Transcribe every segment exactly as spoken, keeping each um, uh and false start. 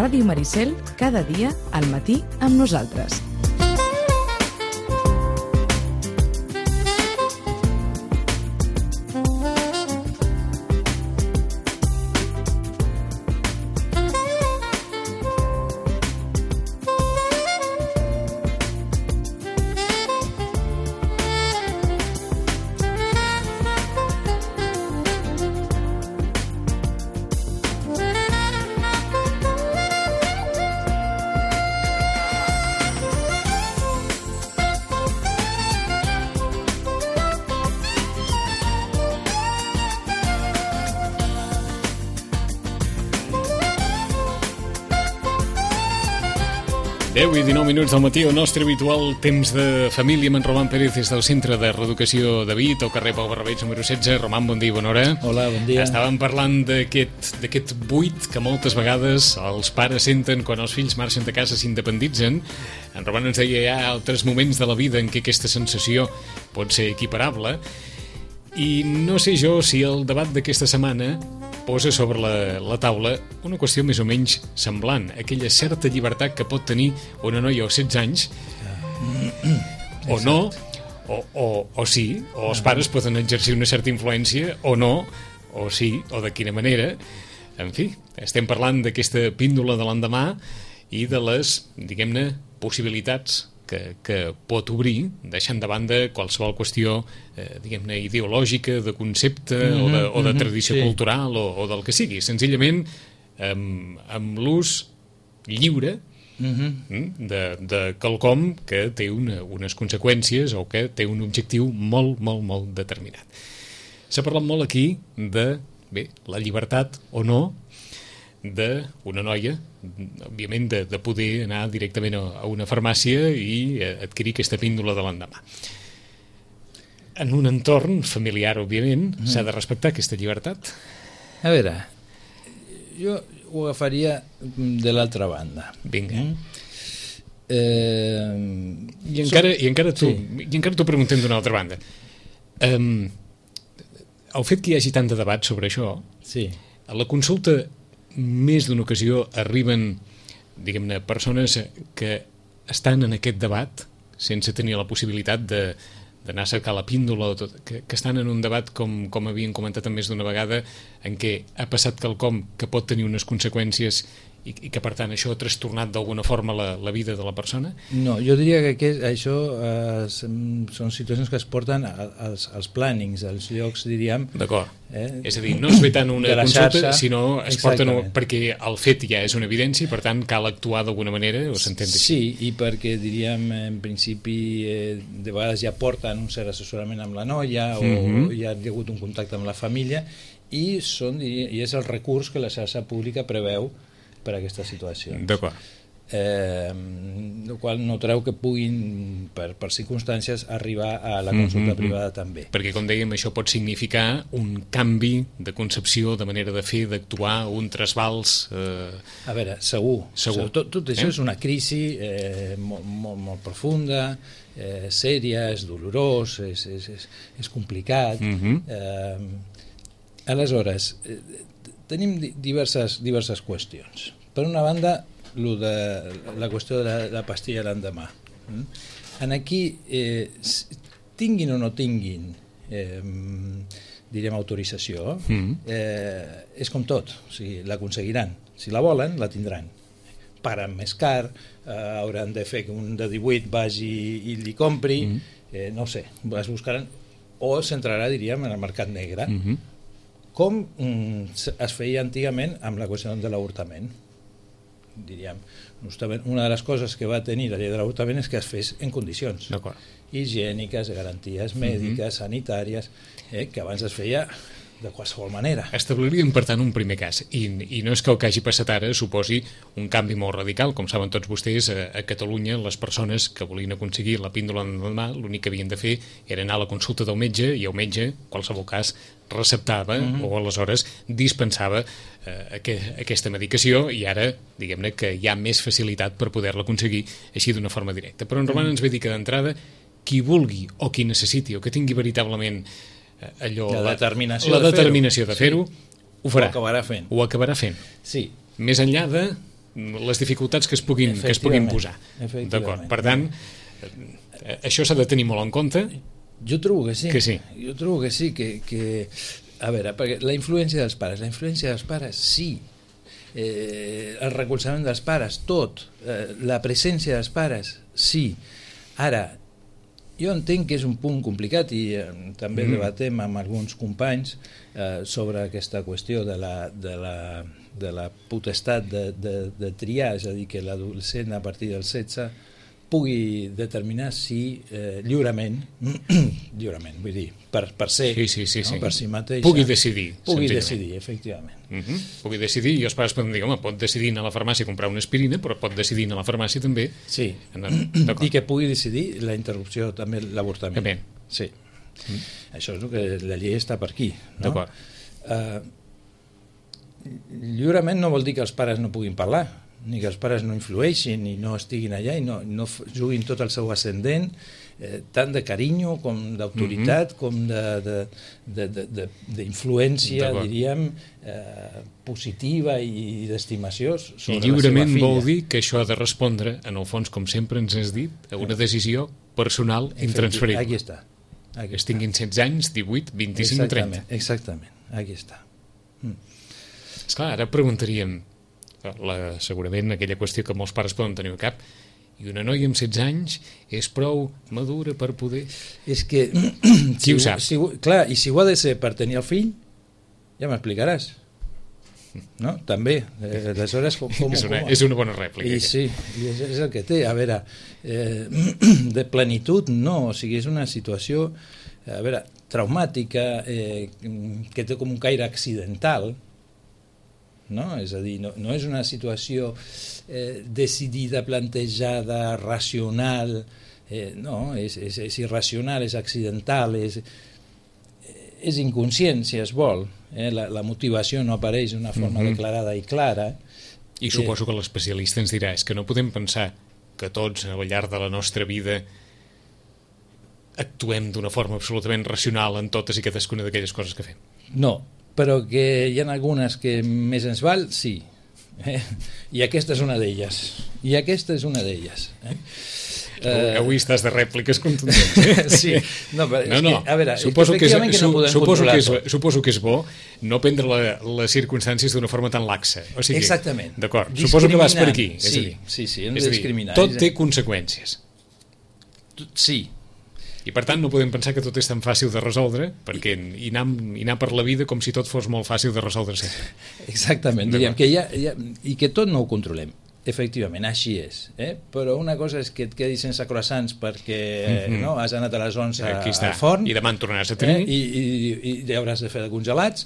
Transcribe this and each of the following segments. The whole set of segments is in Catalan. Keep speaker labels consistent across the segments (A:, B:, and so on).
A: Ràdio Maricel, cada dia al matí amb nosaltres.
B: deu i dinou minuts del matí, el nostre habitual temps de família amb en Roman Pérez des del Centre de Reeducació de Vic, al carrer Pau Barrabeig número setze. Roman, bon dia i bona hora.
C: Hola, bon dia.
B: Estàvem parlant d'aquest d'aquest buit que moltes vegades els pares senten quan els fills marxen de casa, s'independitzen. En Roman ens deia hi ha altres moments de la vida en què aquesta sensació pot ser equiparable. I no sé jo si el debat d'aquesta setmana posa sobre la, la taula una qüestió més o menys semblant, aquella certa llibertat que pot tenir una noia als setze anys, o no, o, o, o sí, o els pares poden exercir una certa influència, o no, o sí, o de quina manera. En fi, estem parlant d'aquesta píndola de l'endemà i de les, diguem-ne, possibilitats que, que pot obrir, deixant de banda qualsevol qüestió, eh, diguem-ne, ideològica, de concepte, mm-hmm, o, de, o de tradició mm-hmm, cultural, o, o del que sigui. Senzillament, amb, amb l'ús lliure mm-hmm, de, de quelcom que té una, unes conseqüències o que té un objectiu molt, molt, molt determinat. S'ha parlat molt aquí de, bé, la llibertat o no d'una noia, òbviament, de, de poder anar directament a, a una farmàcia i adquirir aquesta píndola de l'endemà. En un entorn familiar, òbviament, mm. s'ha de respectar aquesta llibertat.
C: A veure, jo ho agafaria de l'altra banda.
B: Vinga.
C: Mm. Eh,
B: I encara,
C: so...
B: i encara t'ho
C: sí.
B: i encara t'ho preguntem d'una altra banda. Um, el fet que hi hagi tant de debat sobre això,
C: sí.
B: a la consulta més d'una ocasió arriben, diguem-ne, persones que estan en aquest debat sense tenir la possibilitat de, d'anar a cercar la píndola, tot, que, que estan en un debat, com, com havien comentat més d'una vegada, en què ha passat quelcom que pot tenir unes conseqüències i, i que per tant això ha trastornat d'alguna forma la, la vida de la persona?
C: No, jo diria que aquest, això eh, són situacions que es porten als, als plannings, als llocs, diríem.
B: D'acord. Eh? És a dir, no es ve tant una consulta, xarxa, sinó es porten perquè el fet ja és una evidència i per tant cal actuar d'alguna manera, o s'entén així?
C: Sí, i perquè diríem en principi eh, de vegades ja porten un cert assessorament amb la noia o mm-hmm. ja ha hagut un contacte amb la família i, són, i és el recurs que la xarxa pública preveu per a aquestes situacions.
B: D'acord.
C: Eh, el qual no treu que puguin, per, per circumstàncies, arribar a la consulta mm-hmm. privada també.
B: Perquè, com dèiem, això pot significar un canvi de concepció, de manera de fer, d'actuar, un trasbals... Eh...
C: A veure, segur.
B: segur.
C: Tot, tot això
B: eh?
C: és una crisi eh, molt, molt, molt profunda, eh, sèria, és dolorós, és, és, és, és complicat.
B: Mm-hmm.
C: Eh, aleshores, eh, tenim diverses, diverses qüestions. Per una banda, lo de la qüestió de la, la pastilla l'endemà. En aquí, eh, tinguin o no tinguin, eh, direm, autorització, eh, és com tot, o sigui, l'aconseguiran. Si la volen, la tindran. Paguen més car, eh, hauran de fer que un de divuit vagi i li compri, eh, no sé, es buscaran, o s'entrarà, diríem, en el mercat negre. Mm-hmm. Com mm, es feia antigament amb la qüestió de l'avortament. Diríem, una de les coses que va tenir la llei de l'avortament és que es fes en condicions higièniques, garanties mèdiques, mm-hmm. sanitàries, eh, que abans es feia de qualsevol manera.
B: Establiríem, per tant, un primer cas, i, i no és que el que hagi passat ara suposi un canvi molt radical. Com saben tots vostès, a, a Catalunya les persones que volien aconseguir la píndola l'endemà, l'únic que havien de fer era anar a la consulta del metge, i el metge, en qualsevol cas, receptava mm-hmm. o aleshores dispensava eh, aqu- aquesta medicació, i ara, diguem-ne, que hi ha més facilitat per poder-la aconseguir així d'una forma directa. Però en Roman mm-hmm. ens ve dir que d'entrada qui vulgui o qui necessiti o que tingui veritablement allò,
C: la determinació,
B: la
C: de,
B: determinació
C: fer-ho.
B: de fer-ho,
C: sí.
B: ho farà.
C: Ho acabarà fent.
B: Ho acabarà fent.
C: Sí.
B: Més enllà de les dificultats que es puguin, que es puguin posar. D'acord. Per tant, això s'ha de tenir molt en compte.
C: Jo trobo que sí.
B: Que sí.
C: Jo trobo que sí, que, que... A veure, perquè la influència dels pares, la influència dels pares, sí. Eh, el recolzament dels pares, tot. Eh, la presència dels pares, sí. Ara, jo entenc que és un punt complicat i eh, també mm. debatem amb alguns companys eh, sobre aquesta qüestió de la, de la, de la potestat de, de, de triar, és a dir, que l'adolescent a partir dels setze pugui determinar si eh, lliurement, lliurement, vull dir, per, per ser,
B: sí, sí, sí,
C: no?
B: sí.
C: per si mateixa,
B: pugui decidir.
C: Pugui decidir, efectivament.
B: Uh -huh. Pugui decidir, i els pares poden dir, home, pot decidir anar a la farmàcia a comprar una aspirina, però pot decidir anar a la farmàcia també.
C: Sí,
B: anar...
C: i que pugui decidir la interrupció, també l'avortament.
B: També.
C: Sí. Mm. Això és el que la llei està per aquí. No?
B: D'acord.
C: Uh, lliurement no vol dir que els pares no puguin parlar, ni que els pares no influeixin i no estiguin allà i no, no juguin tot el seu ascendent, eh, tant de carinyo com d'autoritat, mm -hmm. com d'influència, diríem, eh, positiva i d'estimació sobre la seva filla.
B: I lliurement vol dir que això ha de respondre, en el fons, com sempre ens has dit, a una decisió personal intransferible.
C: Aquí està. Aquí
B: es tinguin setze anys, divuit, vint-i-cinc, trenta.
C: Exactament, aquí està. Mm.
B: Esclar, ara preguntaríem, la, segurament aquella qüestió que molts pares poden tenir al cap, i una noia amb setze anys és prou madura per poder...
C: És que...
B: Qui
C: si
B: ho sap?
C: Si, clar, i si ho ha de ser per tenir el fill, ja m'explicaràs. No? També. Eh, aleshores, com, com,
B: és, una,
C: com...
B: és una bona rèplica.
C: I sí, i és, és el que té. A veure, eh, de plenitud no, o sigui, és una situació, a veure, traumàtica, eh, que té com un caire accidental, no? És a dir, no, no és una situació eh, decidida, plantejada, racional, eh, no, és, és, és irracional, és accidental, és, és inconscient, si es vol. Eh? La, la motivació no apareix d'una forma mm-hmm. declarada i clara.
B: I suposo que l'especialista ens dirà és que no podem pensar que tots al llarg de la nostra vida actuem d'una forma absolutament racional en totes i cadascuna d'aquelles coses que fem.
C: No, però que hi ha algunes que més ens val, sí. Eh? I aquesta és una d'elles. I aquesta és una d'elles. Eh?
B: Uh, avui estàs de rèpliques contundents. Eh?
C: Sí. No, però
B: no, no.
C: És que, a veure,
B: suposo que, és,
C: que no podem
B: suposo que és,
C: tot.
B: suposo que és bo no prendre la, les circumstàncies d'una forma tan laxa. O sigui,
C: exactament.
B: D'acord. Suposo que vas per aquí.
C: Sí,
B: és a dir,
C: sí, sí, hem
B: de
C: discriminar.
B: Tot té conseqüències.
C: Sí.
B: I per tant no podem pensar que tot és tan fàcil de resoldre, perquè i anar, i anar per la vida com si tot fos molt fàcil de resoldre sempre.
C: Exactament, diríem que ja, ja, i que tot no ho controlem. Efectivament, així és. Eh? Però una cosa és que et quedis sense croissants perquè mm-hmm. no, has anat a les onze al forn
B: i demà en tornaràs a tenir
C: eh? I, i, i hauràs de fer de congelats,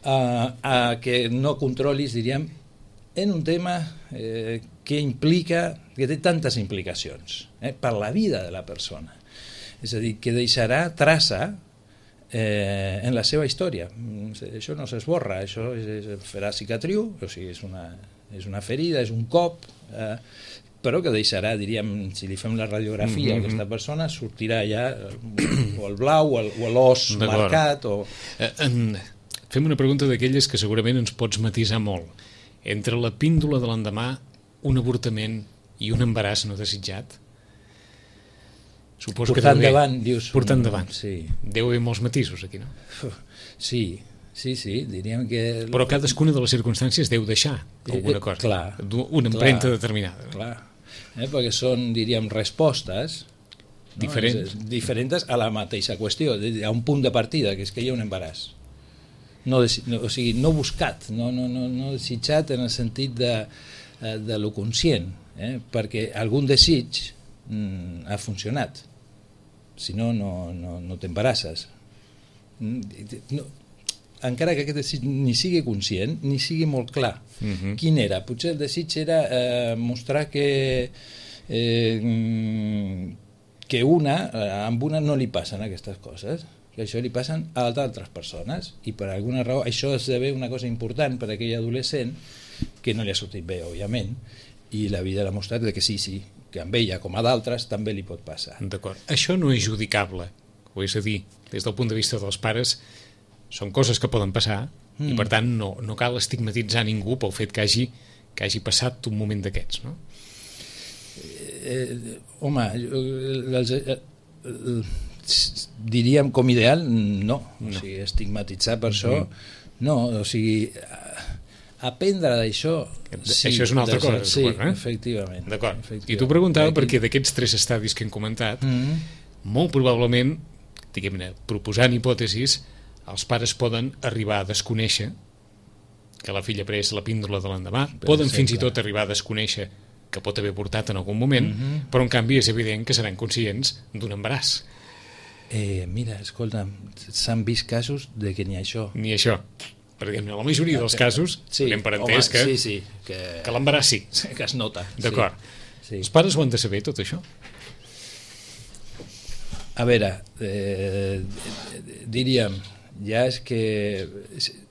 C: uh, a que no controlis, diríem, en un tema eh, que implica, que té tantes implicacions eh, per la vida de la persona. És a dir, que deixarà traça eh, en la seva història. Això no s'esborra, això és, és, farà cicatriu, o sigui, és una, és una ferida, és un cop, eh, però que deixarà, diríem, si li fem la radiografia mm-hmm. a aquesta persona, sortirà ja o el blau o l'os marcat. O...
B: Eh, en... Fem una pregunta d'aquelles que segurament ens pots matisar molt. Entre la píndola de l'endemà, un avortament i un embaràs no desitjat, suposo
C: portar
B: que deu
C: endavant, dius...
B: Portar endavant.
C: Sí.
B: Deu haver molts matisos aquí, no?
C: Sí, sí, sí, diríem que...
B: Però cadascuna de les circumstàncies deu deixar alguna cosa.
C: Eh, eh, clar.
B: Una empremta
C: clar,
B: determinada.
C: Clar, eh, perquè són, diríem, respostes... No?
B: Diferents.
C: Diferents a la mateixa qüestió, a un punt de partida, que és que hi ha un embaràs. No, no, o sigui, no buscat, no, no, no, no desitjat en el sentit de, de lo conscient, eh? Perquè algun desig mm, ha funcionat, si no, no, no, no t'embarasses. No, encara que aquest desig ni sigui conscient, ni sigui molt clar. Uh-huh. Quin era? Potser el desig era eh, mostrar que eh, que una, amb una no li passen aquestes coses, que això li passen a d'altres persones, i per alguna raó això esdevé una cosa important per a aquell adolescent que no li ha sortit bé, òbviament, i la vida l'ha mostrat que sí, sí, que amb ella com a d'altres també li pot passar.
B: D'acord. Això no és judicable, ho és a dir, des del punt de vista dels pares, són coses que poden passar mm. i per tant no, no cal estigmatitzar ningú pel fet que hagi que hagi passat un moment d'aquests, no?
C: Eh, home, els, eh, eh, diríem com ideal, no. no. O sigui, estigmatitzar per això, mm. no. O sigui, aprendre d'això...
B: Sí, això és una altra cosa,
C: sí,
B: eh?
C: efectivament.
B: D'acord.
C: Efectivament.
B: I t'ho preguntava Aquí... perquè d'aquests tres estadis que hem comentat, mm. molt probablement, diguem-ne, proposant hipòtesis, els pares poden arribar a desconèixer que la filla ha pres la píndola de l'endemà, poden fins i tot arribar a desconèixer que pot haver portat en algun moment, mm -hmm. però en canvi és evident que seran conscients d'un embaràs.
C: Eh, mira, escolta, s'han vist casos de que ni això.
B: Ni això. Perquè en la majoria dels casos
C: sí,
B: hem per entès que,
C: sí, sí, que,
B: que l'embaràs sí.
C: Que es nota.
B: D'acord.
C: Sí, sí.
B: Els pares ho han de saber, tot això?
C: A veure, eh, diríem, ja és que...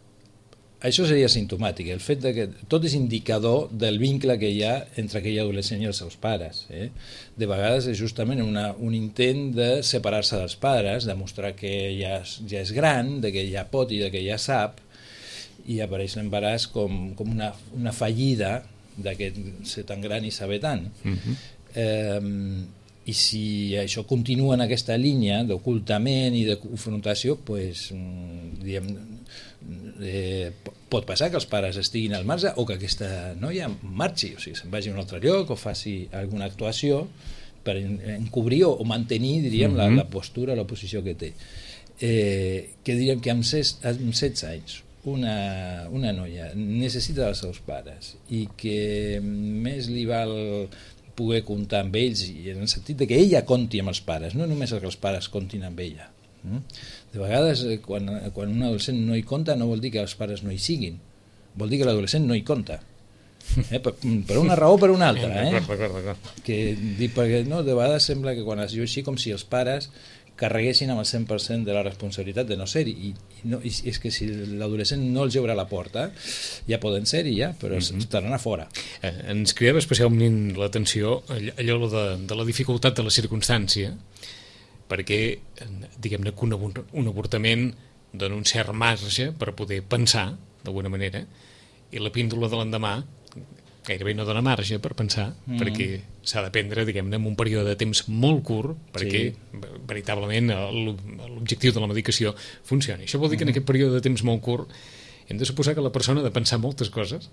C: Això seria simptomàtic, el fet de que tot és indicador del vincle que hi ha entre aquell adolescent i els seus pares. Eh? De vegades és justament una, un intent de separar-se dels pares, de mostrar que ja, ja és gran, de que ja pot i de que ja sap, i apareix l'embaràs com, com una, una fallida d'aquest ser tan gran i saber tant. Uh-huh. eh, I si això continua en aquesta línia d'ocultament i de confrontació, pues, diguem, eh, pot passar que els pares estiguin al marge o que aquesta noia marxi, o sigui, se'n vagi a un altre lloc o faci alguna actuació per encobrir o mantenir, diríem, uh-huh. la, la postura, la posició que té. Eh, que diríem que amb, ses, amb setze anys una, una noia necessita dels seus pares i que més li val poder comptar amb ells, i en el sentit de que ella conti amb els pares, no només que els pares comptin amb ella. De vegades, quan, quan un adolescent no hi compta, no vol dir que els pares no hi siguin, vol dir que l'adolescent no hi compta. Eh? Per, per una raó o per una altra. Eh?
B: D'acord, d'acord, d'acord.
C: Que, perquè, no, de vegades sembla que quan es diu així com si els pares carreguessin amb el cent per cent de la responsabilitat de no ser-hi, i, i, no, i és que si l'adolescent no els obre la porta ja poden ser-hi ja, però mm-hmm. estaran a fora.
B: Eh, ens cridava especialment l'atenció allò de, de la dificultat de la circumstància, perquè diguem-ne que un, un avortament dona un cert marge per poder pensar d'alguna manera, i la píndola de l'endemà gairebé no dona marge per pensar, mm. perquè s'ha de prendre, diguem-ne, en un període de temps molt curt perquè sí. veritablement l'objectiu de la medicació funcioni. Això vol dir que en aquest període de temps molt curt hem de suposar que la persona ha de pensar moltes coses?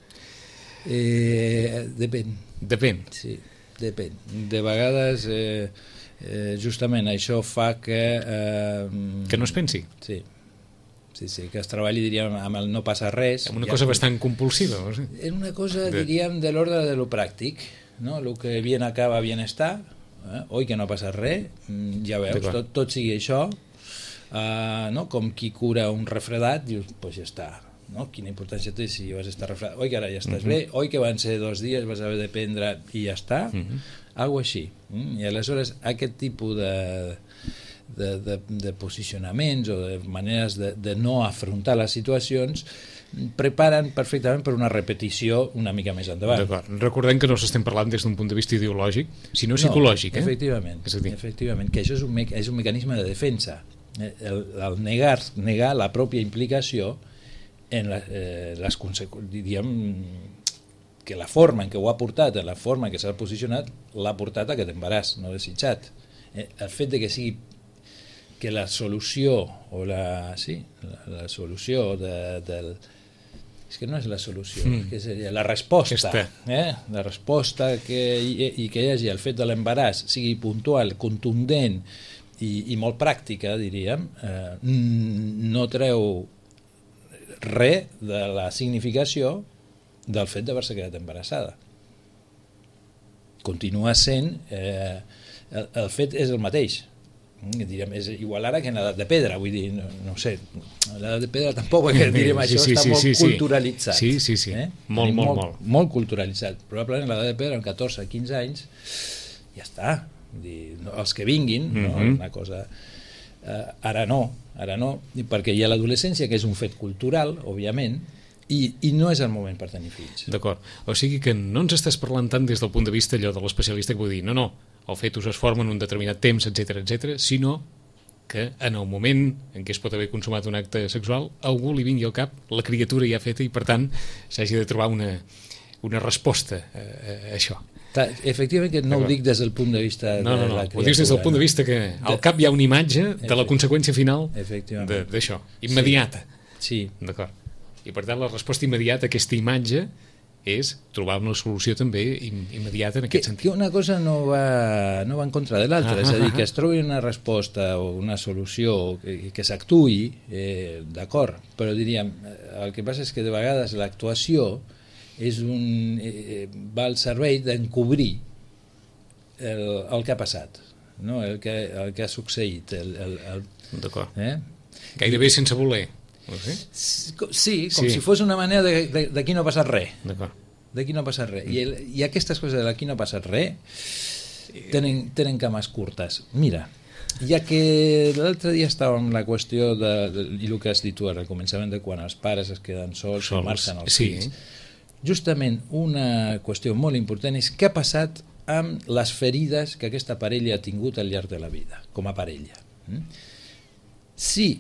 C: Eh, depèn.
B: Depèn.
C: Sí, depèn. De vegades eh, eh, justament això fa que... Eh,
B: que no es pensi.
C: Sí. Sí, sí, que es treballi, diríem, amb el no passa res.
B: Amb una ja cosa que... bastant compulsiva. No sé.
C: És una cosa, de... diríem, de l'ordre de lo pràctic, no? El que bien acaba, bien està, eh? Oi que no passa res, ja veus, tot, tot sigui això, uh, no? Com qui cura un refredat, dius, doncs pues ja està, no? Quina importància té si vas estar refredat, oi que ara ja estàs uh-huh. bé, oi que van ser dos dies, vas haver de prendre i ja està, uh-huh. algo així. I aleshores aquest tipus de... De, de, de posicionaments o de maneres de, de no afrontar les situacions preparen perfectament per una repetició una mica més endavant.
B: D'acord. Recordem que no s'estem parlant des d'un punt de vista ideològic, sinó psicològic.
C: No, efectivament, eh? efectivament, que això és un, me és un mecanisme de defensa. El, el negar, negar la pròpia implicació en la, eh, les conseqüències, que la forma en què ho ha portat, en la forma en què s'ha posicionat, l'ha portat a aquest embaràs no desitjat. Eh, el fet de que sigui que la solució o la, sí, la, la solució de, del... És que no és la solució, mm. que seria la resposta. Eh? La resposta que hi, i que hi hagi el fet de l'embaràs sigui puntual, contundent i, i molt pràctica, diríem, eh, no treu res de la significació del fet d'haver-se quedat embarassada. Continua sent... Eh, el, el fet és el mateix. Diríem, és igual ara que en l'edat de pedra, vull dir, no, no sé, l'edat de pedra tampoc, perquè diríem, això sí, sí, està sí, molt sí, culturalitzat.
B: Sí, sí, sí,
C: eh?
B: molt, molt, molt,
C: molt. Molt culturalitzat. Probablement en l'edat de pedra, amb catorze a quinze anys, ja està. Vull dir, no, els que vinguin, mm-hmm. no, una cosa... Eh, ara no, ara no, perquè hi ha l'adolescència, que és un fet cultural, òbviament, i, i no és el moment per tenir fills.
B: D'acord. O sigui que no ens estàs parlant tant des del punt de vista allò de l'especialista que vull dir, no, no, el fetus es forma en un determinat temps, etcètera, etcètera, sinó que en el moment en què es pot haver consumat un acte sexual, a algú li vingui al cap, la criatura ja feta, i per tant s'hagi de trobar una, una resposta a, a això.
C: Efectivament que no ho dic des del punt de vista de
B: no, no, no.
C: la criatura.
B: Ho dius des del punt de vista que al cap hi ha una imatge de la conseqüència final d'això, immediata.
C: Sí.
B: D'acord. I per tant la resposta immediata a aquesta imatge és trobar una solució també immediata en aquest
C: que,
B: sentit.
C: Que una cosa no va, no va en contra de l'altra,
B: ah,
C: és a dir,
B: ah,
C: que es trobi una resposta o una solució que, que s'actuï, eh, d'acord, però diríem, el que passa és que de vegades l'actuació és un, eh, va al servei d'encobrir el, el que ha passat, no? el, que, el que ha succeït. El, el, el,
B: D'acord.
C: Eh?
B: Gairebé sense voler.
C: Sí, sí, com
B: sí.
C: si fos una manera de, de, d'aquí no ha passat res.
B: D'acord.
C: D'aquí no ha passat res. I, el, I aquestes coses de d'aquí no ha passat res tenen, tenen cames curtes. Mira, ja que l'altre dia estava amb la qüestió de, de, i el que has dit tu ara, al començament de quan els pares es queden sols, sols. i marxen els
B: sí.
C: fills. Justament una qüestió molt important és què ha passat amb les ferides que aquesta parella ha tingut al llarg de la vida, com a parella. Mm? Sí,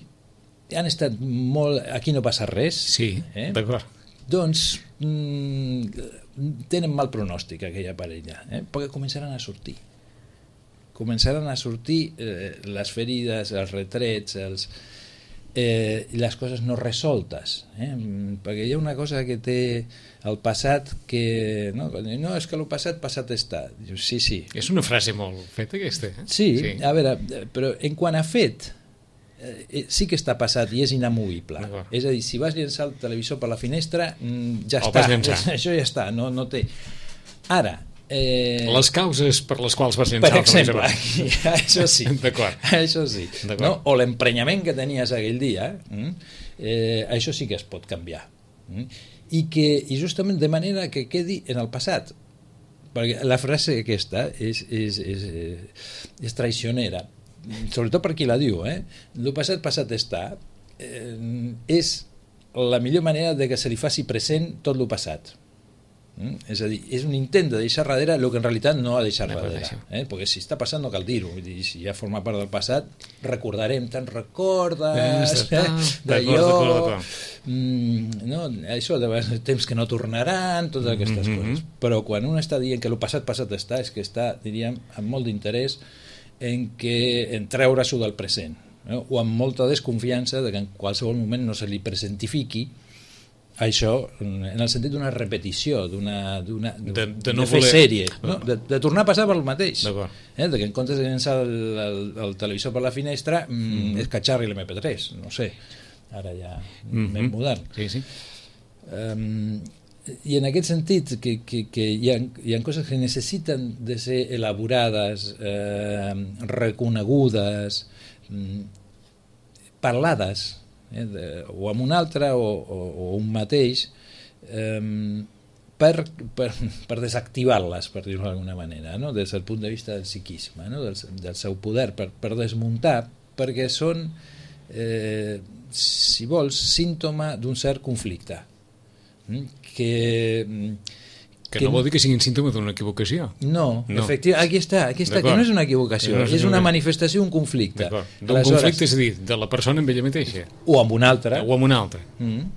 C: han estat molt... Aquí no passa res.
B: Sí,
C: eh?
B: d'acord.
C: Doncs mm, tenen mal pronòstic aquella parella, eh? perquè començaran a sortir. Començaran a sortir eh, les ferides, els retrets, els, eh, les coses no resoltes. Eh? Perquè hi ha una cosa que té el passat que... No, no és que el passat, passat està. Sí, sí.
B: És una frase molt feta, aquesta. Eh?
C: Sí, sí, a veure, però en quant a fet... Eh, sí que està passat i és inamovible. És a dir, si vas llençar el televisor per la finestra, ja
B: el
C: està, això ja està, no, no té. Ara, eh...
B: les causes per les quals vas llençar
C: per exemple,
B: el televisor,
C: això sí, això sí, no? O l'emprenyament que tenies aquell dia, eh, això sí que es pot canviar, i que i justament de manera que quedi en el passat, perquè la frase aquesta és, és, és, és traicionera, sobretot per qui la diu, eh? El passat passat està, eh, és la millor manera de que se li faci present tot el passat. Mm? És a dir, és un intent de deixar darrere el que en realitat no ha deixat darrere, eh? Perquè si està passant no cal dir-ho, si ja forma part del passat recordarem, te'n recordes eh? d'allò mm, no? Això de temps que no tornaran, totes aquestes mm-hmm. coses, però quan un està dient que el passat passat està, és que està, diríem, amb molt d'interès en, que, en treure-s'ho del present, no? O amb molta desconfiança de que en qualsevol moment no se li presentifiqui això en el sentit d'una repetició, d'una, d'una, de, de, no de fer voler... sèrie, no? de, de tornar a passar per el mateix, eh? De que en comptes de llençar el, el, el televisor per la finestra mm, és catxarri l'M P tres, no sé, ara ja mm-hmm. m'hem modern.
B: Sí, sí.
C: Um, i en aquest sentit que, que, que hi, ha, hi ha coses que necessiten de ser elaborades, eh, reconegudes, mm, parlades, eh, de, o amb un altre o, o, o un mateix, eh, per, per, per desactivar-les, per dir-ho d'alguna manera, no? Des del punt de vista del psiquisme, no? del, del seu poder, per, per desmuntar, perquè són, eh, si vols, símptoma d'un cert conflicte. Que,
B: que, que no vol dir que siguin símptomes d'una equivocació.
C: No, no. Efectivament, aquí està, aquí està, que no és una equivocació, no és, és una manifestació, un conflicte.
B: D'un conflicte, és a dir, de la persona amb ella mateixa.
C: O amb una altra.
B: O amb una altra.
C: Mm,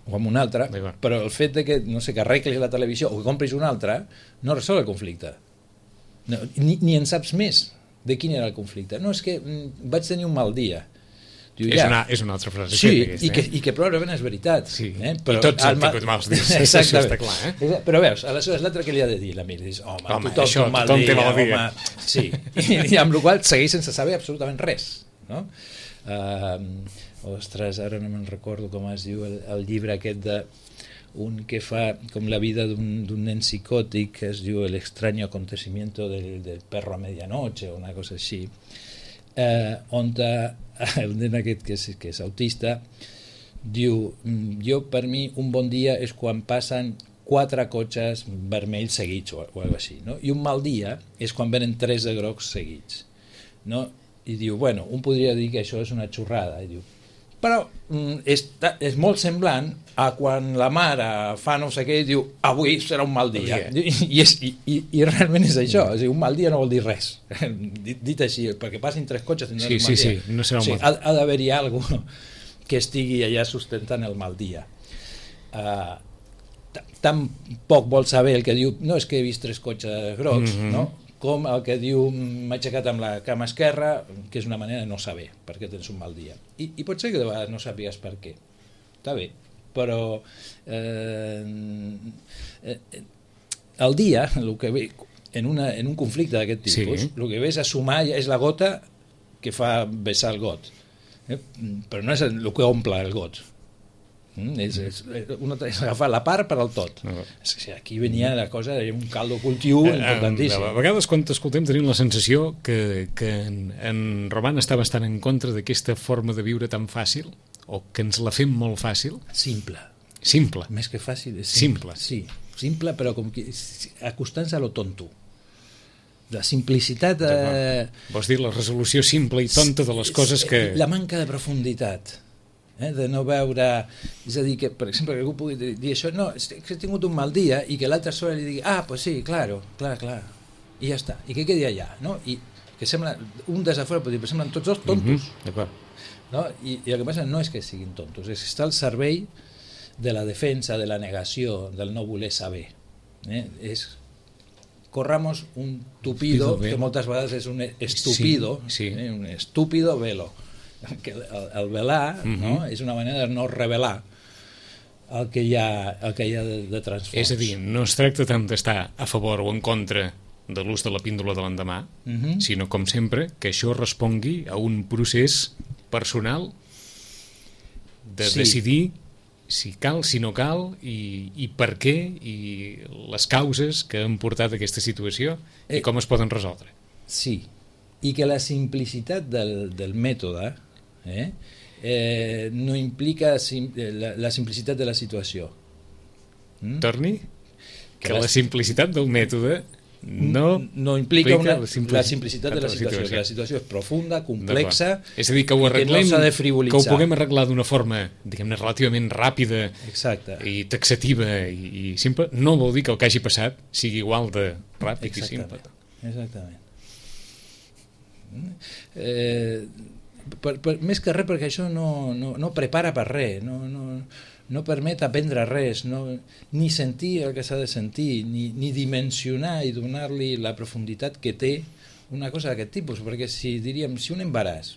C: o amb una altra, però el fet de que, no sé, que arreglis la televisió o que compris una altra, no resol el conflicte. No, ni, ni en saps més de quin era el conflicte. No, és que mm, vaig tenir un mal dia. Diu,
B: és,
C: ja.
B: una, és una altra frase.
C: Sí,
B: aquesta,
C: i, que,
B: eh?
C: i que probablement és veritat.
B: Sí.
C: Eh? Però
B: I tots hem
C: ma...
B: tingut mals dies.
C: Exactament.
B: Està clar, eh?
C: Però veus, aleshores l'altre que li ha de dir l'amic, dius, home,
B: home
C: tothom,
B: això,
C: mal
B: tothom
C: dia,
B: té mal dia.
C: home. Sí, I, i amb la qual segueix sense saber absolutament res, no? Uh, ostres, ara no me'n recordo com es diu el, el llibre aquest de un que fa com la vida d'un nen psicòtic, que es diu El extraño acontecimiento del, del perro a medianoche o una cosa així, eh, on el nen aquest que és, que és autista diu, jo per mi un bon dia és quan passen quatre cotxes vermells seguits o, o alguna cosa així, no? I un mal dia és quan venen tres de grocs seguits, no? I diu, bueno, un podria dir que això és una xorrada, i diu, però mm, és, és molt semblant a quan la mare fa no sé què i diu, avui serà un mal dia, I, i, és, i, i, i realment és això, és a dir, un mal dia no vol dir res, dit, dit així, perquè passin tres cotxes
B: sí, sí, sí, no serà un
C: sí,
B: mal
C: ha, ha d'haver-hi alguna que estigui allà sustentant el mal dia. Uh, tan poc vol saber el que diu, no és que he vist tres cotxes grocs, mm-hmm. no? Com el que diu m'he aixecat amb la cama esquerra, que és una manera de no saber perquè tens un mal dia. I, i pot ser que de vegades no sàpigues per què. Està bé, però eh, eh, el dia, el que ve, en, una, en un conflicte d'aquest tipus, sí. el que ve és a sumar, és la gota que fa vessar el got. Eh? Però no és el que omple el got. Mm, és, és, una, és agafar la part per al tot. No. Aquí venia la cosa, un caldo cultiu importantíssim.
B: A vegades quan t'escoltem tenim la sensació que, que en, en Roman està bastant en contra d'aquesta forma de viure tan fàcil, o que ens la fem molt fàcil.
C: Simple.
B: Simple.
C: Més que fàcil, és simple.
B: Simple.
C: Sí, simple, però com que acostant-se a lo tonto. La simplicitat... Eh...
B: Vols dir la resolució simple i tonta de les coses que...
C: La manca de profunditat. Eh, de no veure, és a dir, que per exemple que algú pugui dir, dir això, no, és que he tingut un mal dia i que l'altre sobre li digui, ah, pues sí, claro, clar, clar, i ja està, i que quedi allà, no? I que sembla, un des de fora pot dir, però semblen tots dos tontos,
B: mm-hmm,
C: no? I, i el que passa no és que siguin tontos, és que està al servei de la defensa, de la negació, del no voler saber, eh? És corramos un tupido, que moltes vegades és un estupido,
B: sí, sí.
C: Eh? Un estúpido velo, que el, el velar, mm-hmm. no? És una manera de no revelar el que hi ha, el que hi ha de, de transfons.
B: És a dir, no es tracta tant d'estar a favor o en contra de l'ús de la píndola de l'endemà, mm-hmm. sinó, com sempre, que això respongui a un procés personal de sí. decidir si cal, si no cal, i, i per què, i les causes que han portat a aquesta situació i com es poden resoldre.
C: Sí, i que la simplicitat del, del mètode eh, eh, no implica sim, la, la simplicitat de la situació.
B: Mm? Torni? Que, que la simplicitat del mètode no,
C: no implica una, la, simplici la simplicitat de la situació, situació, que la situació és profunda, complexa,
B: és a dir, que ho arreglem,
C: que no s'ha de frivolitzar.
B: Que ho puguem arreglar d'una forma, diguem-ne, relativament ràpida.
C: Exacte.
B: I taxativa i, i simple, no vol dir que el que hagi passat sigui igual de ràpid i simple.
C: Exactament. Eh, per, per, més que res perquè això no, no, no prepara per res, no, no, no permet aprendre res, no, ni sentir el que s'ha de sentir, ni, ni dimensionar i donar-li la profunditat que té una cosa d'aquest tipus, perquè si diríem, si un embaràs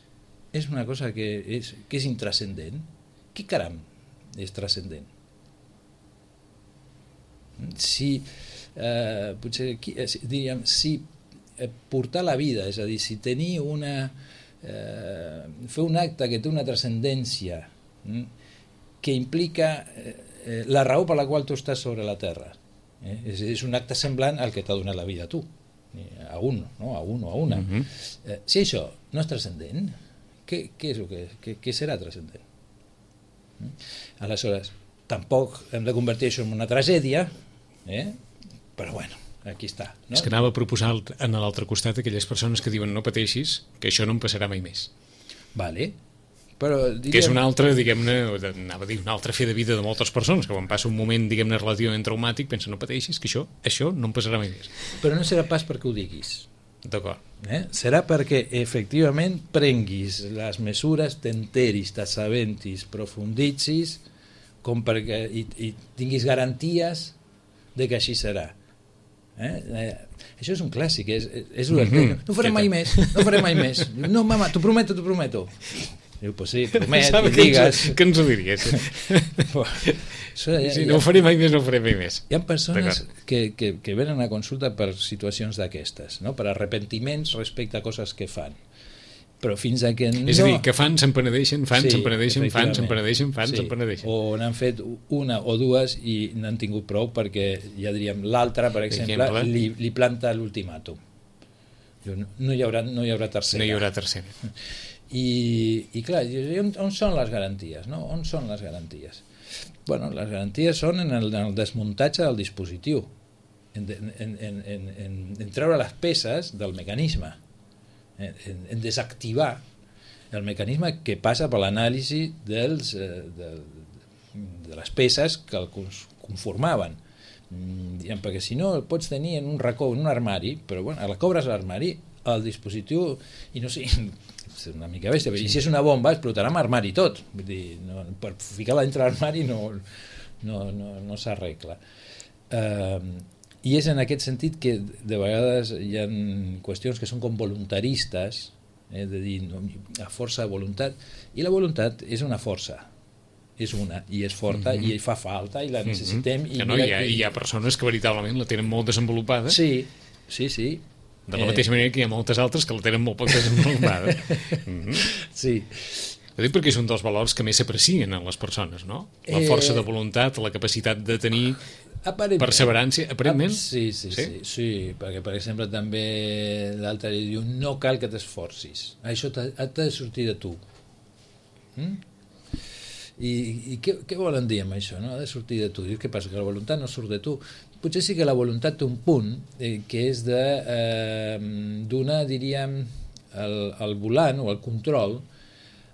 C: és una cosa que és, que és intrascendent, què caram és transcendent? Si eh, potser diríem, si portar la vida, és a dir, si tenir una eh, fer un acte que té una transcendència mm, que implica eh, la raó per la qual tu estàs sobre la terra, eh? és, és un acte semblant al que t'ha donat la vida a tu, a un, no? a un o a una. Mm-hmm. eh, si això no és transcendent, què, què és el que, què, què serà transcendent? Mm? Aleshores, tampoc hem de convertir això en una tragèdia, eh? però bueno, aquí està. No?
B: És que anava a proposar en l'altre costat aquelles persones que diuen no pateixis, que això no em passarà mai més.
C: Vale. Però, diríem...
B: Que és una altra, diguem-ne, anava a dir, una altra fe de vida de moltes persones, que quan passa un moment, diguem-ne, relativament traumàtic, pensen no pateixis, que això, això no em passarà mai més.
C: Però no serà pas perquè ho diguis.
B: D'acord.
C: Eh? Serà perquè efectivament prenguis les mesures, t'enteris, t'assabentis, profunditzis, com perquè i, i tinguis garanties de que així serà. Eh? Eh, això és un clàssic, és, és mm-hmm. no farem mai més, no farem mai més. No, mama, t'ho prometo, t'ho prometo. Diu, pues sí, promet, i digues.
B: Que ens ho diries?
C: Això, ja,
B: si no ho faré mai més, no ho faré mai més.
C: Hi ha persones que, que, que venen a consulta per situacions d'aquestes, no? Per arrepentiments respecte a coses que fan. Però fins a que no...
B: És a dir, que fan, se'n penedeixen, fan, se'n penedeixen, fan, se'n penedeixen, fan, se'n penedeixen.
C: O n'han fet una o dues i n'han tingut prou perquè, ja diríem, l'altra, per exemple, li, li planta l'ultimàtum. No, no, hi haurà, no hi haurà tercera.
B: No hi haurà tercera.
C: I, i clar, on, on són les garanties? No? On són les garanties? Bueno, les garanties són en el, en el desmuntatge del dispositiu, en, en, en, en, en, en treure les peces del mecanisme, en, en desactivar el mecanisme que passa per l'anàlisi dels, de, de les peces que el conformaven. Diguem, perquè si no el pots tenir en un racó, en un armari, però bueno, la cobres a l'armari, el dispositiu, i no sé, és una mica bèstia, sí. I si és una bomba explotarà amb armari tot, vull dir, no, per ficar-la dintre l'armari no, no, no, no s'arregla. Eh, I és en aquest sentit que de vegades hi ha qüestions que són com voluntaristes, eh, de dir, no, a força de voluntat, i la voluntat és una força, és una, i és forta, mm-hmm. i fa falta, i la necessitem.
B: Mm-hmm. I no, hi, ha, hi ha persones que veritablement la tenen molt desenvolupada.
C: Sí, sí, sí.
B: De la mateixa manera que hi ha moltes altres que la tenen molt poc desenvolupada. Mm-hmm.
C: Sí.
B: Ho dic perquè és un dels valors que més s'aprecien en les persones, no? La força de voluntat, la capacitat de tenir perseverància, aparentment.
C: Sí, sí, sí, sí, sí, perquè per exemple també l'altre diu no cal que t'esforcis, això t'ha de sortir de tu. Mm? I, i què, què volen dir amb això, no? Ha de sortir de tu. Dius, què passa? Que la voluntat no surt de tu. Potser sí que la voluntat té un punt eh, que és de eh, donar, diríem, el, el volant o el control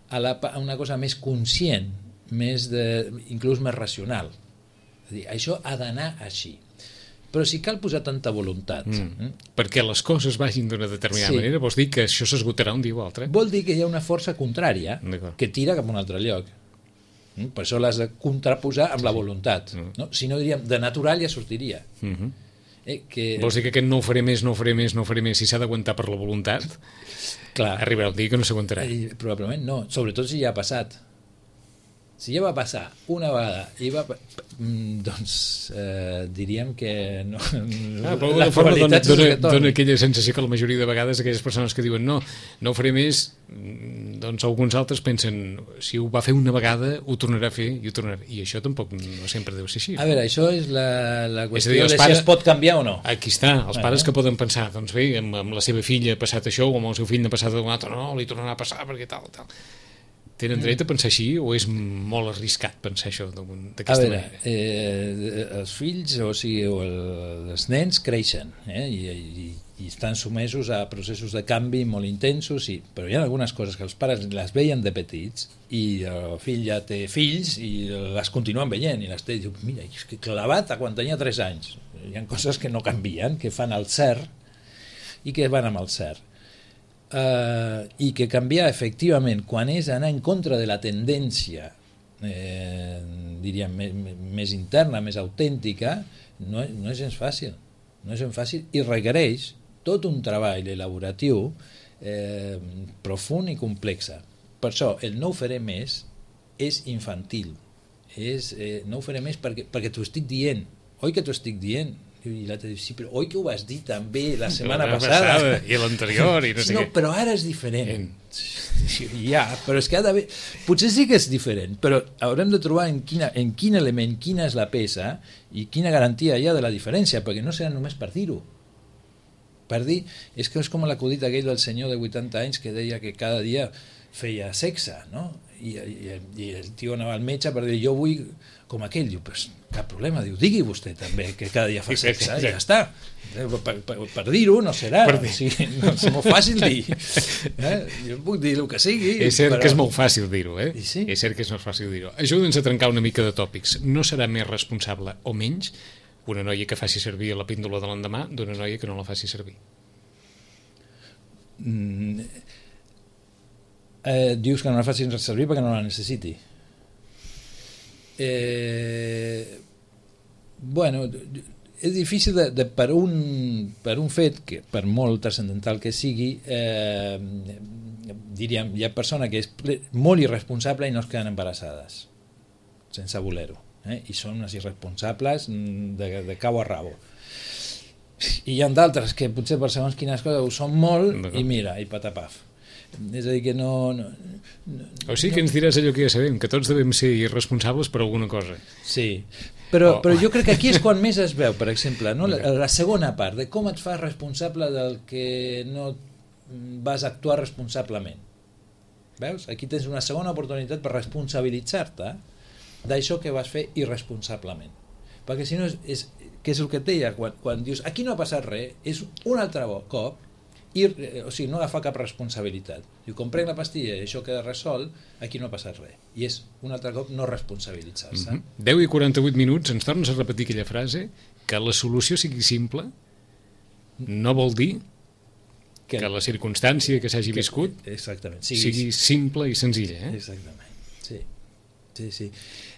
C: a, la, a una cosa més conscient, més de, inclús més racional. És a dir, això ha d'anar així. Però si cal posar tanta voluntat...
B: Mm. Eh? Perquè les coses vagin d'una determinada sí. manera, vols dir que això s'esgotarà un dia o altre?
C: Vol dir que hi ha una força contrària que tira cap a un altre lloc. Mm? Per això l'has de contraposar amb sí. la voluntat. Mm. No? Si no, diríem, de natural ja sortiria.
B: Mm-hmm.
C: eh, que...
B: Vols dir que aquest no ho faré més, no ho faré més, no ho faré més, si s'ha d'aguantar per la voluntat, clar, arribarà el dia que no s'aguantarà.
C: Eh, probablement no, sobretot si ja ha passat. Si ja va passar una vegada i va, doncs eh, diríem que no,
B: ah, la probabilitat dona, dona, dona aquella sensació que la majoria de vegades aquelles persones que diuen no, no ho faré més, doncs alguns altres pensen si ho va fer una vegada ho tornarà a fer i ho tornarà a fer. I això tampoc no sempre deu ser així.
C: A veure, això és la, la qüestió dir, de pares, si es pot canviar o no.
B: Aquí està, els pares ah, que poden pensar doncs bé, amb, amb la seva filla ha passat això o amb el seu fill ha passat un altre, no, li tornarà a passar perquè tal, tal. Tenen dret a pensar així o és molt arriscat pensar això d'aquesta
C: veure,
B: manera?
C: Eh, els fills, o sigui, o el, els nens creixen eh, i, i, i estan sotmesos a processos de canvi molt intensos, i, però hi ha algunes coses que els pares les veien de petits i el fill ja té fills i les continuen veient i les té i diu, mira, és que clavat a quan tenia tres anys. Hi ha coses que no canvien, que fan el cert i que van amb el cert. Uh, i que canviar efectivament quan és anar en contra de la tendència eh, diríem més, més interna, més autèntica, no, no és gens fàcil, no és gens fàcil i requereix tot un treball elaboratiu eh, profund i complex. Per això el no ho faré més és infantil, és, eh, no ho faré més perquè, perquè t'ho estic dient, oi que t'ho estic dient? I l'altre diu, sí, però oi que ho vas dir també la setmana passada?
B: passada i l'anterior i no sé
C: no,
B: què.
C: Però ara és diferent. Ja, però és que ha d'haver... Potser sí que és diferent, però haurem de trobar en, quina, en quin element, quina és la peça i quina garantia hi ha de la diferència, perquè no serà només per dir-ho. Per dir, és que és com l'acudit aquell del senyor de vuitanta anys que deia que cada dia feia sexe, no? I, i, i el tio anava al metge per dir, jo vull com aquell, diu, pues, cap problema, diu, digui vostè també que cada dia fa sexe, i ja està. Per, per, per dir-ho no serà, per dir. O sigui, no, és molt fàcil dir. Eh? Jo puc dir el que sigui.
B: És cert
C: però...
B: que és molt fàcil dir-ho, eh?
C: Sí?
B: És cert que és molt fàcil dir-ho. Ajuda'ns a trencar una mica de tòpics. No serà més responsable o menys una noia que faci servir la píndola de l'endemà d'una noia que no la faci servir?
C: Mm, eh, dius que no la faci servir perquè no la necessiti. Eh, bueno, és difícil de, de, per, un, per un fet que per molt transcendental que sigui eh, diríem, hi ha persona que és molt irresponsable i no es queden embarassades sense voler-ho eh? I són unes irresponsables de, de cau a rabo, i hi ha d'altres que potser per segons quines coses ho són molt i mira, i patapaf. És a dir, que no... no, no
B: o sigui que ens diràs allò que ja sabem, que tots devem ser irresponsables per alguna cosa.
C: Sí, però, oh. però jo crec que aquí és quan més es veu, per exemple, no? la, la segona part, de com et fas responsable del que no vas actuar responsablement. Veus? Aquí tens una segona oportunitat per responsabilitzar-te d'això que vas fer irresponsablement. Perquè si no, és, és, que és el que et deia, quan, quan dius, aquí no ha passat res, és un altre cop, I, o sigui, no agafar cap responsabilitat. Diu, com prenc la pastilla i això queda resolt, aquí no ha passat res. I és un altre cop no responsabilitzar-se.
B: Mm-hmm. deu i quaranta-vuit minuts, ens tornes a repetir aquella frase, que la solució sigui simple, no vol dir que, que la circumstància que s'hagi viscut
C: exactament,
B: sigui, sigui simple i senzilla. Eh?
C: Exactament, sí. Sí, sí.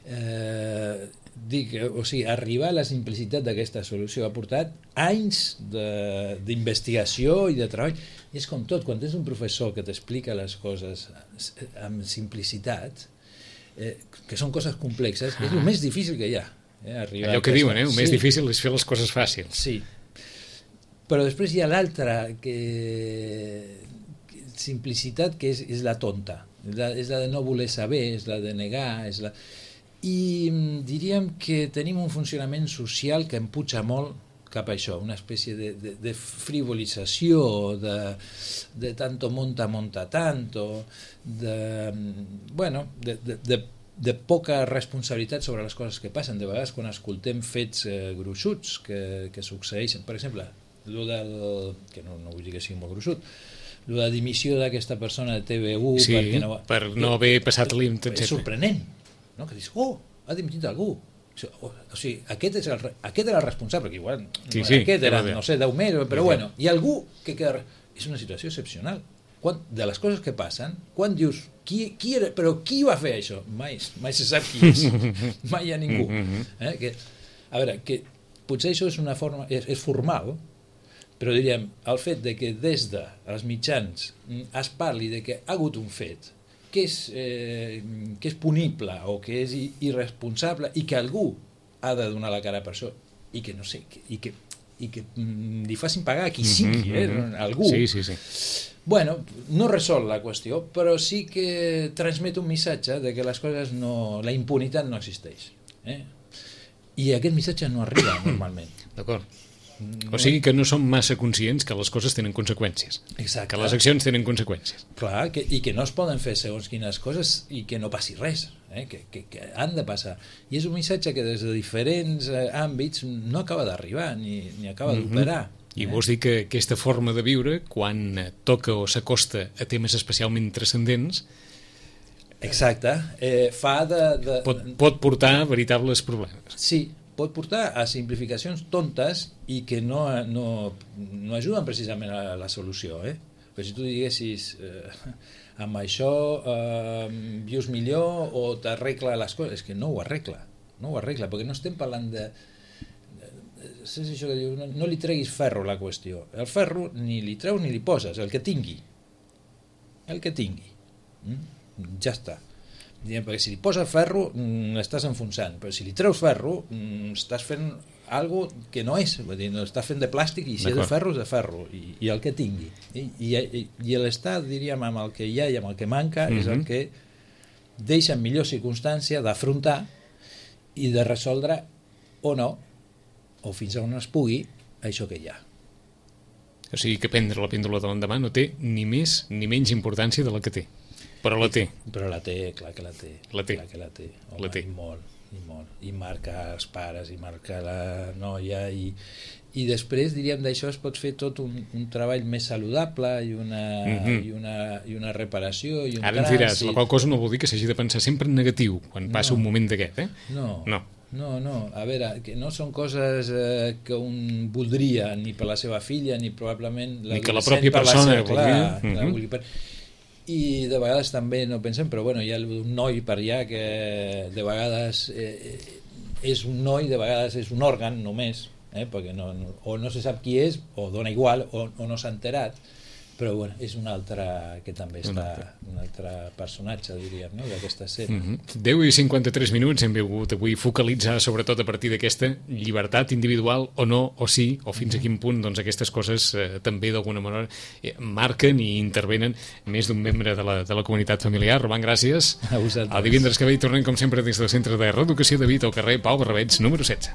C: Eh, dic, o sigui, arribar a la simplicitat d'aquesta solució ha portat anys d'investigació i de treball. I és com tot, quan tens un professor que t'explica les coses amb simplicitat, eh, que són coses complexes, ah. és el més difícil que hi ha. Eh, arribar
B: Allò que
C: aquesta...
B: diuen, eh? el més sí. difícil és fer les coses fàcils.
C: Sí, però després hi ha l'altra que... simplicitat, que és, és la tonta, és la, és la de no voler saber, és la de negar, és la... i diríem que tenim un funcionament social que empuja molt cap a això, una espècie de, de, de frivolització, de, de tanto monta, monta tanto, de, bueno, de, de, de, de poca responsabilitat sobre les coses que passen. De vegades quan escoltem fets eh, gruixuts que, que succeeixen, per exemple, lo del, que no, no vull dir que sigui molt gruixut, la dimissió d'aquesta persona de T V U
B: sí,
C: no,
B: per no haver passat límit,
C: és sorprenent, no? Que dius, oh, ha dimitit algú, o, o sigui, aquest, és el, aquest era el responsable, perquè igual
B: sí,
C: no
B: sí,
C: aquest era, no sé, deu mesos, però
B: sí,
C: bueno, hi ha algú que queda... És una situació excepcional. Quan, de les coses que passen, quan dius, qui, qui era, però qui va fer això? Mai, mai se sap qui és, mai hi ha ningú. Eh? Que, a veure, que potser això és una forma, és, és formal, però diríem, el fet de que des dels mitjans es parli de que ha hagut un fet que és, eh, que és punible o que és irresponsable i que algú ha de donar la cara per això i que no sé, que, i que, i que mm, li facin pagar a qui sigui, eh, algú.
B: Sí, sí, sí.
C: Bueno, no resol la qüestió, però sí que transmet un missatge de que les coses no... la impunitat no existeix. Eh? I aquest missatge no arriba normalment.
B: D'acord. O sigui que no som massa conscients que les coses tenen conseqüències.
C: Exacte.
B: Que les accions tenen conseqüències.
C: Clar, que, i que no es poden fer segons quines coses i que no passi res, eh? que, que, que han de passar. I és un missatge que des de diferents eh, àmbits no acaba d'arribar ni, ni acaba mm-hmm. d'operar.
B: I eh? vols dir que aquesta forma de viure, quan toca o s'acosta a temes especialment transcendents,
C: exacte, eh, fa de... de...
B: Pot, pot portar veritables problemes.
C: Sí, pot portar a simplificacions tontes i que no, no, no ajuden precisament a la solució. Eh? Però si tu diguessis eh, amb això eh, vius millor o t'arregla les coses, és que no ho arregla, no ho arregla, perquè no estem parlant de... És això que diu, no, no li treguis ferro a la qüestió. El ferro ni li treus ni li poses, el que tingui. El que tingui. Mm? Ja està. Diem, perquè si li poses ferro mm, estàs enfonsant, però si li treus ferro mm, estàs fent algo que no és, vull dir, no, estàs fent de plàstic i si és de ferro és de ferro i, i el que tingui i, i, i, i l'estat, diríem, amb el que hi ha i amb el que manca mm-hmm. és el que deixa en millor circumstància d'afrontar i de resoldre o no, o fins on es pugui, això que hi ha.
B: O sigui que prendre la píndola de l'endemà no té ni més ni menys importància de la que té. Però la té.
C: Però la té, clar que la té.
B: La té.
C: Clar que la té. Home,
B: la té.
C: I molt, i molt. I marca els pares, i marca la noia, i, i després, diríem, d'això es pot fer tot un, un treball més saludable i una, mm-hmm. i una, i una reparació i un
B: Ara ens diràs, la qual cosa no vol dir que s'hagi de pensar sempre en negatiu quan passa no. un moment d'aquest, eh?
C: No.
B: No.
C: No, no, a veure, que no són coses eh, que un voldria ni per la seva filla ni probablement
B: ni que la pròpia persona
C: seva, clar,
B: mm-hmm.
C: la vulgui per... I de vegades també no pensem, però bueno, hi ha un noi per allà que de vegades eh, és un noi, de vegades és un òrgan només, eh, perquè no, no, o no se sap qui és, o dona igual, o, o no s'ha enterat, però bueno, és un altre que també està, un altre personatge, diríem, no?, d'aquesta escena.
B: Mm-hmm. deu i cinquanta-tres minuts hem volgut avui focalitzar sobretot a partir d'aquesta llibertat individual o no, o sí, o fins mm-hmm. a quin punt doncs, aquestes coses eh, també d'alguna manera eh, marquen i intervenen més d'un membre de la, de la comunitat familiar. Roman, gràcies.
C: A vosaltres.
B: El divendres que ve hi tornem com sempre des del Centre de Reeducació de Vic al carrer Pau Barrabets número setze.